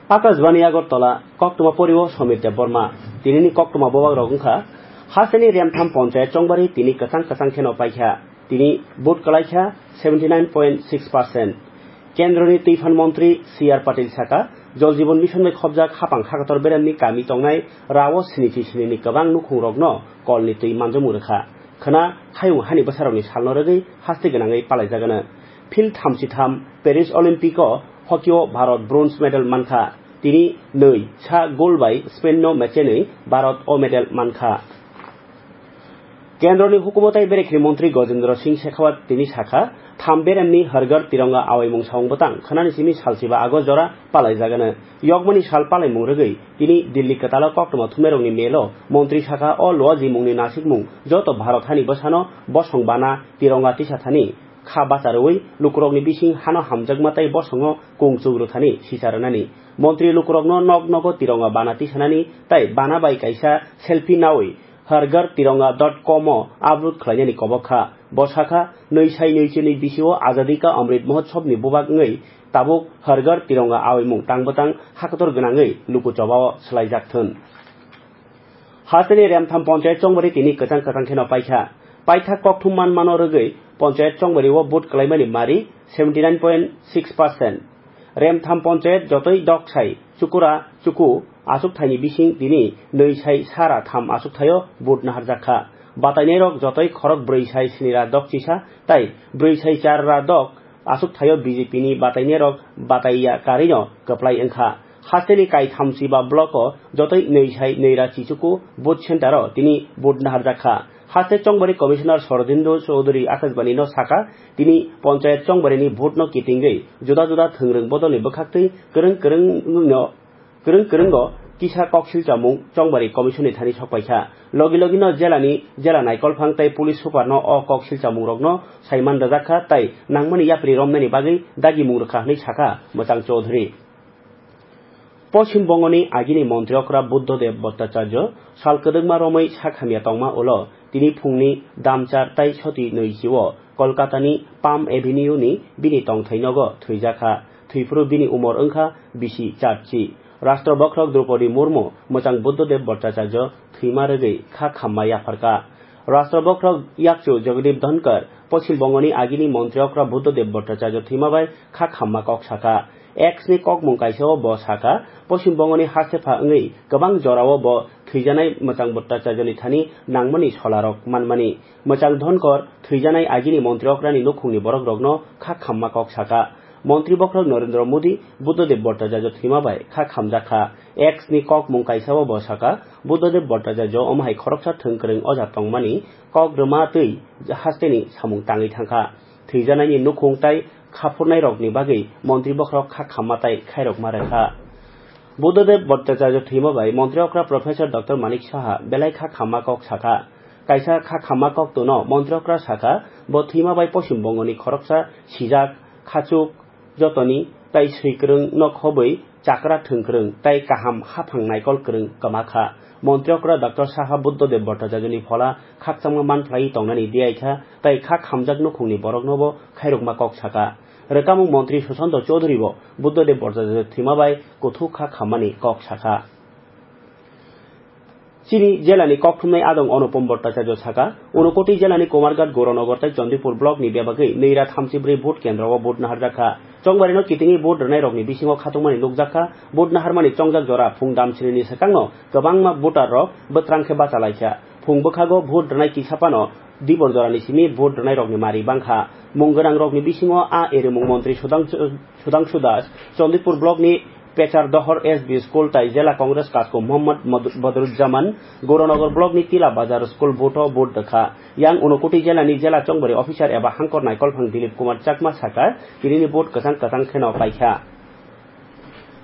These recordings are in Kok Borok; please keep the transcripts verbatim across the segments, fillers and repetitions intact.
Akashbani Agartala, koktwma poriwo Somir Debbarma. Tinini koktwma bobak rok wngkha, hasteni Remtham Ponchayat Chongbari tini kwchang kwchang kheno paikha. Tini vote kwlaikha seventy nine point six percent. Kendroni Twiphan Montri C R Patil saka, Jal Jeevan Mission bai khobjak hapang hakator beremni kami tongnai rao sinichi sinini kwbang nukhungrokno kolni twi manjamung rwkha. Khwna hayung hani bwsarokni salno rwgwi haste gwnangwi palaijagano. Field thamchi tham Paris Olympic o hockey o Bharat bronze medal mankha. Tini nwi sa goal bai Spain no mechenwi Bharat o medal mankha. Kendroni hukumo tai berekhni montri Gajendra Singh Shekhawat tini sakha, tham beremni Har Ghar Tiranga awaimung samung bwtang khwnani simi salchiba August jora palaijagano. Yokmani sal palaimung rwgwi tini Delhi kwtalo koktwma thumnairokni melo montri sakha, o luajimungni nasikmung joto Bharat hani bwsano bosong bana Tiranga tisa thani kha bacha rwui lukurokni bising hano hamjakma tai bosongo kung chuk rwthani sisa rwnani. Montri lukurokno nok nogo Tiranga bana tisanani tai bana bai kaisa selfie naui Har Ghar Tiranga dot com o upload khlainani kobok kha. Bo sakha, nwi sai nwi chinwi bisio Azadi Ka Amrit Mahotsav ni bubak wngwi tabuk Har Ghar Tiranga awaimung tang bwtang hakotor gwnangwi luku chobao swlaijak thun. Hasteni Remtham Ponchayat Chongbari tini kwchang kwchang kheno paikha. Paithak kokthum manmano rwgwi Ponchayat Chongbari o vote kwlaimani mari seventy nine point six percent. Remtham Ponchayat jotoi dok sai chukura chuku achuk thaini bising tini nwi sai sara tham achuk thaio vote naharjak kha. Batainairok jotoi khorok brwi sai sini ra dok chisa tai brwi sai char ra dok achuk thaio B J P ni batainairok bataiya karino kwplai wngkha. Hasteni kaitham chiba block o jotoi nwi sai nwi ra chichuku vote center o tini vote naharjak kha. Haste Chongbari Commissioner Sorojindo Chowdhury Akashbani no saka, tini Ponchayat Chongbari ni vote no kitingwi juda juda thwngrwng bodol ni bwkhaktwi kwrwng kwrwng no kwrwng kwrwngo kisa kok silchamung Chongbari Commission ni thani sokpaikha. Logi logi no jela ni jela naikolphang tai police super no o kok silchamung rok no saiman rwjak kha tai nangmani yapri romnani bagwi dagimung rwkha hwnwi sakha Mwchang Chowdhury. Poschim Bongoni agini montri okra Buddhadev Bhattacharya sal kwdwkma romwi sak hamya tongma ulo tini phungni damchar tai soti nwi chio Kolkatani Palm Avenue ni bini tongthai nogo thwijakha. Thwiphuru bini umor wngkha bisi charchi. Rashtra bokhorok Draupadi Murmu mwchang Buddhadev Bhattacharya thwima rwgwi kha khamma yapharkha. Rashtra bokhorok yakchu Jagdeep Dhankhar, Poschim Bongoni agini montri okra Buddhadev Bhattacharya thwima bai kha khamma kok sakha. X ni kokmung kaisa o bo sakha, Poschim Bongoni hastepha wngwi kwbang jorao bo thwijanai mwchang Bhattacharya ni thani nangmani solarok manmani. Mwchang Dhankhar thwijanai agini montri okrani nukhungni borokrokno kha khamma kok sakha. Montri bokhorok Narendra Modi Buddhadev Bhattacharya thwima bai kha khamjakha. X ni kokmung kaisa o bo sakha, Buddhadev Bhattacharya omo hai khoroksa thwng kwrwng oja tongmani kok rwma twi hasteni samung tangwi thangkha. Thwijanaini nukhung tai khaphurnairokni bagwi montri bokhorok kha khamma tai khairokma rwkha. Buddhadev Bhattacharya thwima bai montri okra Professor Doctor Manik Saha belai kha khamma kok sakha. Kaisa kha khamma kok twno montri okra sakha, bo thwima bai Poschim Bongoni khoroksa sijak, khachuk, jotoni tai swikwrwng no khobwi chakra thwngkwrwng tai kaham haphang naikol kwrwng kwma kha. Montri okra Doctor Saha Buddhadev Bhattacharya ni phola khakchangma manphlaiwi tongnani diyaikha tai kha khamjak nukhungni boroknobo khairokma kok sakha. Rwkamung montri Sushanta Chowdhury bo Buddhadev Bhattacharya thwima bai kuthuk kha khammani kok sakha. Chini jela ni kokthumnai adong Anupam Bhattacharya sakha, Unakoti jela ni Kumarghat, Gauranagar tai Chandipur block ni bebagwi nwi ra thamchi bwrwi vote kendro o vote naharjak kha. Chongbari no kitingwi vote rwnai rokni bisingo khatungmani nukjak kha. Vote naharmani chongjak jora phung damchini ni swkangno kwbangma voter rok bwtrang khe bacha laikha. Phung bwkhago vote rwnai kisa phano Dibor jorani simi vote rwnairokni mari bangkha. Mung gwnangrokni bisingo a erimung montri Sudhangshu, Sudhangshu Das, Chandipur blockni Pechar Dohor S B school tai Jela Congress kasku Mohammad Mad-, Badruzzaman, Gauranagar blockni Tila Bazar school vote-o vote rwkha. Yang Unakoti jelani jela chongbari officer eba hangkor naikolphang Dilip Kumar Chakma sakha, tinini vote kwchang kwchang kheno paikha.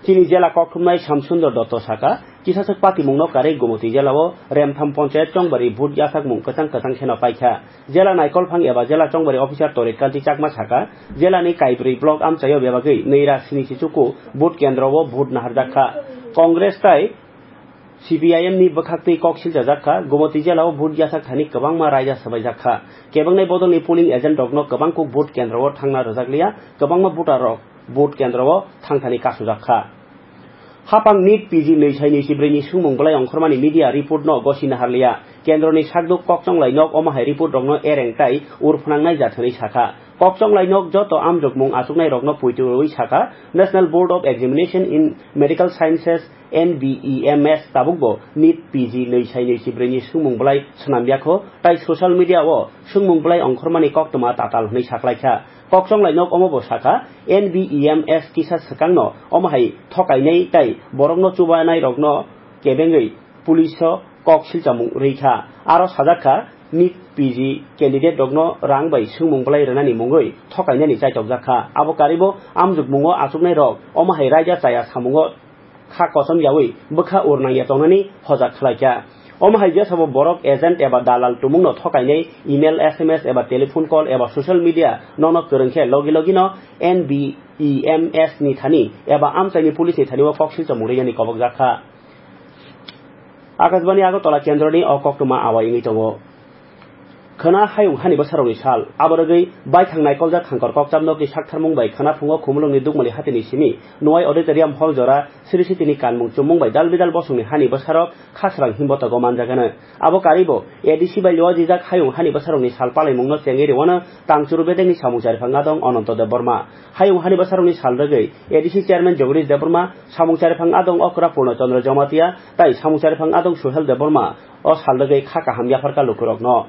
Chini jela kokthumnai Samsundar Dotto sakha, kisaswk patimungno karwi Gumoti jelao Remtham Ponchayat chongbari vote yasakmung kwchang kwchang kheno paikha. Jela naikolphang eba jela chongbari officer Torit Kanti Chakma sakha, jelani kaibrwi block amchaio bebagwi nwi ra sini chichuku vote kendro o vote naharjak kha. Congress tai C P I M ni bwkhaktwi kok siljajak kha, Gumoti jelao vote yasak thani kwbangma raida swbaijak kha. Kebengnai bodolni polling agent rokno kwbangkuk vote kendro o thangna rwjakliya, kwbangma voter rok vote kendro o thangthani kasujak kha. Hapang NEET P G nwi sai nwi si brwi ni swngmung bwlai ongkhormani media report no gosi naharliya. Kendroni sakduk kokchonglai nok omo hai report rokno ereng tai ur phnangnai jathani sakha. Kokchonglai nok joto amjokmung achuknai rokno puitu rwi sakha, National Board of Examination in Medical Sciences, N B E M S tabukbo NEET P G nwi sai nwi si brwi ni swngmung bwlai swnamyakho, tai social media o swngmung bwlai ongkhormani koktwma tatal hwnwi saklaikha. Kokchonglai nok omo bo sakha, N B E M S kisa swkangno omo hai thokainai tai borokno chubanai rokno kebengwi police o kok silchamung rwi kha. Aro sajak kha, NEET P G candidate rokno rang bai swngmung bwlai rwnani mungwi thokainani chaitokjak kha. Abo karibo amjokmungo achuknai rok omo hai raida chaya samungo kha kosom yawi bwkha ur nangya tongnani hojak khlaikha. Omo hai jesabo borok agent eba dalal tumungno thokainai email, S M S eba telephone call eba social media nono kwrwng khe logi logino N B E M S ni thani eba amchaini police ni thani o kok silchamung rwiyani kobokjak kha. Akashbani Agartala kendroni o koktwma awa wngwi tongo. Khwna hayung hani bwsarokni sal. Abo rwgwi baithang naikoljak khangkor kokchap nokni saktharmung bai khwna phungo Khumulwngni Dukmali hatini simi Nuwai Auditorium Hall jora Sri Sitini kanmung chummung bai dal bidal bosongni hani bwsarok khasrang himbotogo manjagano. Abo karibo A D C bai luajijak hayung hani bwsarokni sal palaimungno chengwi rwano Tangchuru bedekni samung chariphang adong Ananto Debbarma. Hayung hani bwsarokni sal rwgwi A D C chairman Jagadish Debbarma, samung chariphang adong Okra Purno Chandra Jamatia, tai samung chariphang adong Suhel Debbarma o sal rwgwi kha kaham yapharkha lukurokno.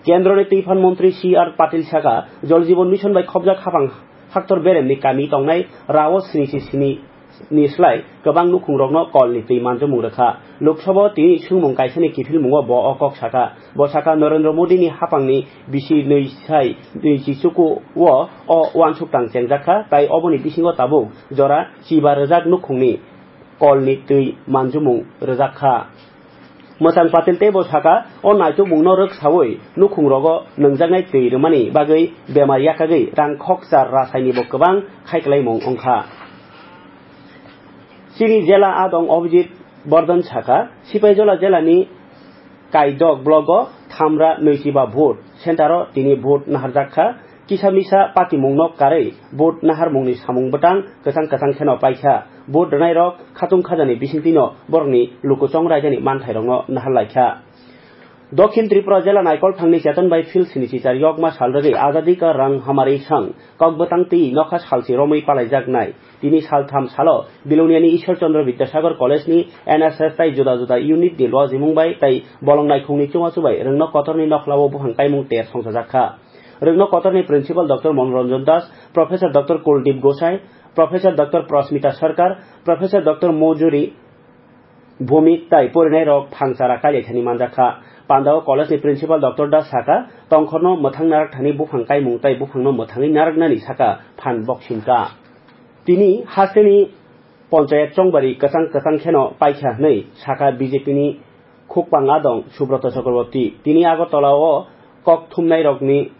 Kendroni twi phan montri C R Patil sakha, Jal Jeevan Mission bai khopjak hapang haktor beremni kami tongnai rao sni si sni ni slai kwbang nukhungrokno kolni twi manjomung rwkha. Lok Sabha o tini swngmung kaisani kiphilmungo bo o kok sakha. Bo sakha, Narendra Modini hapangni bisi nwi sai nwi chi chuku o o uansuk tang chengjak kha, tai oboni bisingo tabuk jora chiba rwjak nukhungni kolni twi manjomung rwjak kha. Mwchang Patil teibo sakha, o naitukmungno rwksaui nukhungrogo nwngjaknai twi rwmani bagwi bemar yakagwi rang khokchar rasainibo kwbang khaiklaimung wngkha. Chini jela adong Abhijit Bardhan sakha, Sipaijola jelani Kaidok blogo thamra nwichiba vote centero tini vote naharjak kha. Kisa misa patimungno karwi vote naharmungni samung bwtang kwchang kwchang kheno paikha. Vote rwnairok khatung khajani bisingtwino borokni lukuchong raidani manthairokno naharlaikha. Dokhin Tripura jela naikolthangni Cheton bai Phil sini chichar yokma sal rwgwi Azadi Ka Rang Hamari Sang kokbwtang twi nokha salchi romwi palaijaknai. Tini saltham salo Biloniani Ishwar Chandra Vidyasagar College ni N S S tai juda juda unit ni lojimung bai tai bolong naikhungni chubachu bai rwngno kotorni nokhlao buphang kaimung ter songchajak kha. Rwngno kotorni Principal Doctor Manoranjan Das, Professor Doctor Kuldeep Gosai, Professor Doctor Prasmita Sarkar, Professor Doctor Mojuri Bhumik tai porinairok phangchara kailaithani manjakha. Pandao college ni principal Doctor Das sakha, tongkhorno mwthang narak thani buphang kaimung tai buphangno mwthangwi naraknani sakha phan boksingka. Tini hasteni ponchayat chongbari kwchang kwchang kheno paikha hwnwi sakha B J P ni khukpang adong Subroto Chakraborty. Tini Agartala o kok thumnairokni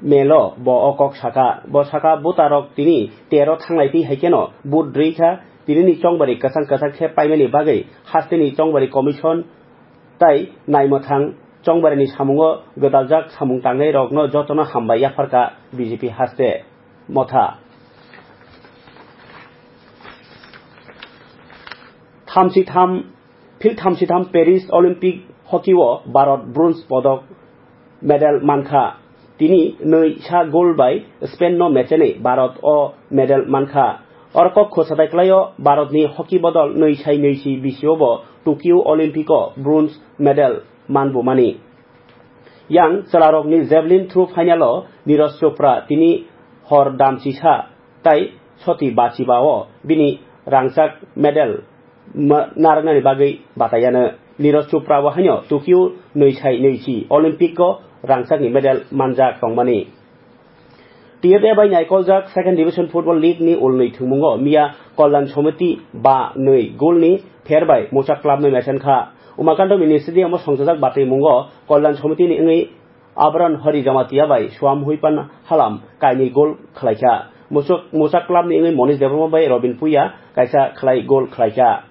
melo bo o kok sakha. Bo sakha, voter rok tini tero thanglai twi hai kheno vote rwi kha. Tini ni chongbari kwchang kwchang khe paimani bagwi hasteni chongbari commission tai naimwthang chongbarini samungo gwdaljak samung tangnai rokno jotono hambai yapharkha B J P haste motha. Thamchi tham Phil thamchi tham Paris Olympic hockey o Bharat bronze podok medal mankha. Tini nwi sa goal bai Spain no mechenwi Bharat o medal mankha. Oro kok khosadai klaio Bharat ni hockey bodol nwi sai nwi si bisio bo Tokyo Olympic o bronze medal manbumani. Yang chwlarokni javelin throw final o Neeraj Chopra tini hor damchisa tai soti bachiba o bini rangchak medal ma-, narwknani bagwi bataiano. Neeraj Chopra bo haino Tokyo nwi sai nwi chi Olympic o rangchakni medal manjak tongmani. T F A bai naikoljak Second Division Football League ni ulnwi thwngmungo miya Kalyan Samiti ba nwi goal ni pher bai Mocha Club no mechen kha. Umakanta Mini Stadium o songchajak batwi mungo Kalyan Samiti ni wngwi Abran Hari Jamatia bai Suam Huipan Halam kainwi goal khlaikha. Muchuk-, Muchak Club ni wngwi Monish Debbarma bai Robin Puya kaisa khlai goal khlaikha.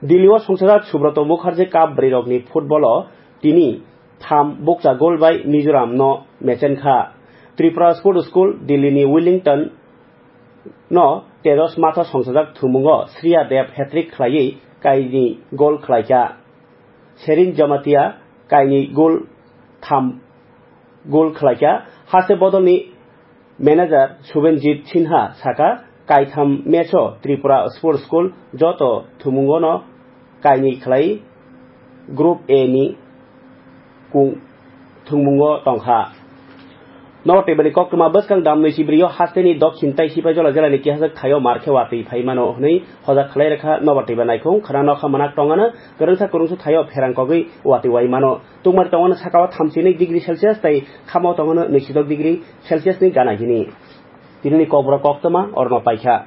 Delhi o songchajak Subroto Mukherjee Cup bwrwirokni football o tini tham bukcha goal bai Mizoram no mechenkha. Tripura Sports School, Delhi ni Wellington no Tejas Matha songchajak thumungo Shreya Deb hat-trick khlaiwi kainwi gol khlaikha. Sherin Jamatia kainwi gol tham gol khlaikha. Haste bodolni manager Subenjit Sinha sakha, kaitham match-o Tripura Sports School joto thumungono kainwi khlai Group A ni kung thwngmungo tongkha. Nobar twibani koktwma bwskang dam nwi chibrio hasteni dokhin tai Sipaijola jelani kihajak thaio mar khe watwi phai mano hwnwi hojak khlai rwkha. Nobar twiba naikhung khwna nokha manak tongano kwrwngsa kwrwngsa thaio pherang kogwi watwi wai mano. Tungmari tongmani sakao thamchi nwi degree Celsius tai khamo tongmani nwi sidok degree Celsius ni gana hini. Tinini kokborok koktwma orno paikha.